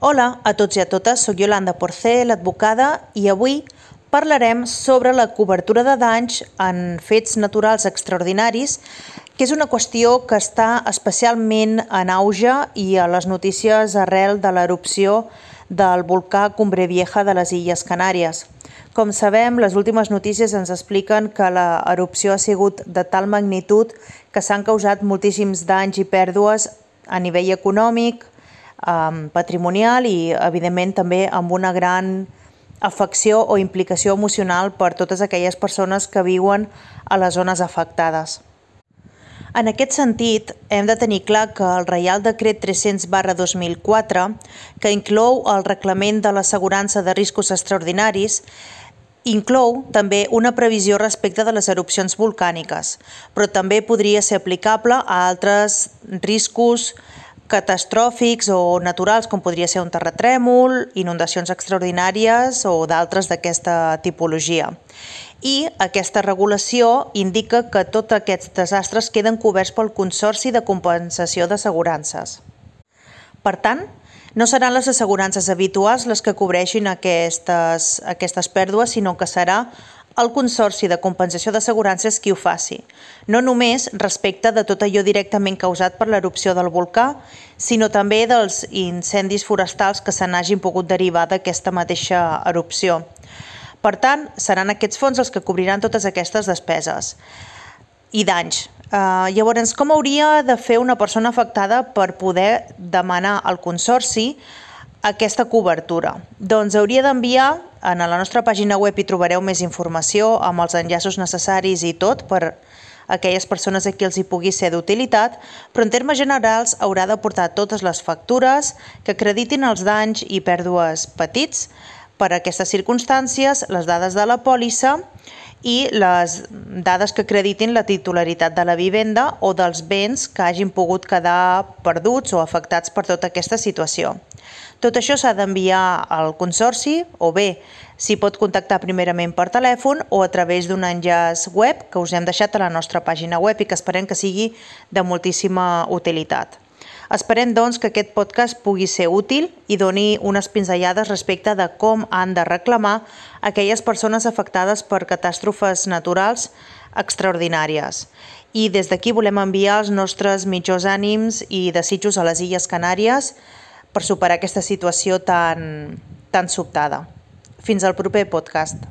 Hola a tots i a totes, soc Yolanda Porcé, l'advocada, i avui parlarem sobre la cobertura de danys en fets naturals extraordinaris, que és una qüestió que està especialment en auge i a les notícies arrel de l'erupció del volcà Cumbre Vieja de les Illes Canàries. Com sabem, les últimes notícies ens expliquen que l'erupció ha sigut de tal magnitud que s'han causat moltíssims danys i pèrdues a nivell econòmic, patrimonial i, evidentment, també amb una gran afecció o implicació emocional per totes aquelles persones que viuen a les zones afectades. En aquest sentit, hem de tenir clar que el Reial Decret 300/2004, que inclou el Reglament de l'Assegurança de Riscos Extraordinaris, inclou també una previsió respecte de les erupcions volcàniques, però també podria ser aplicable a altres riscos catastròfics o naturals, com podria ser un terratrèmol, inundacions extraordinàries o d'altres d'aquesta tipologia. I aquesta regulació indica que tots aquests desastres queden coberts pel Consorci de Compensació d'Assegurances. Per tant, no seran les assegurances habituals les que cobreixin aquestes pèrdues, sinó que serà el Consorci de Compensació d'Assegurances qui ho faci, no només respecte de tot allò directament causat per l'erupció del volcà, sinó també dels incendis forestals que se n'hagin pogut derivar d'aquesta mateixa erupció. Per tant, seran aquests fons els que cobriran totes aquestes despeses i danys. Llavors, com hauria de fer una persona afectada per poder demanar al Consorci aquesta cobertura? Doncs hauria d'enviar, a la nostra pàgina web hi trobareu més informació amb els enllaços necessaris i tot per aquelles persones a qui els hi pugui ser d'utilitat, però en termes generals haurà de portar totes les factures que acreditin els danys i pèrdues petits per a aquestes circumstàncies, les dades de la pòlissa i les dades que acreditin la titularitat de la vivenda o dels béns que hagin pogut quedar perduts o afectats per tota aquesta situació. Tot això s'ha d'enviar al Consorci, o bé s'hi pot contactar primerament per telèfon o a través d'un enllaç web que us hem deixat a la nostra pàgina web i que esperem que sigui de moltíssima utilitat. Esperem, doncs, que aquest podcast pugui ser útil i doni unes pinzellades respecte de com han de reclamar aquelles persones afectades per catàstrofes naturals extraordinàries. I des d'aquí volem enviar els nostres millors ànims i desitjos a les Illes Canàries per superar aquesta situació tan sobtada. Fins al proper podcast.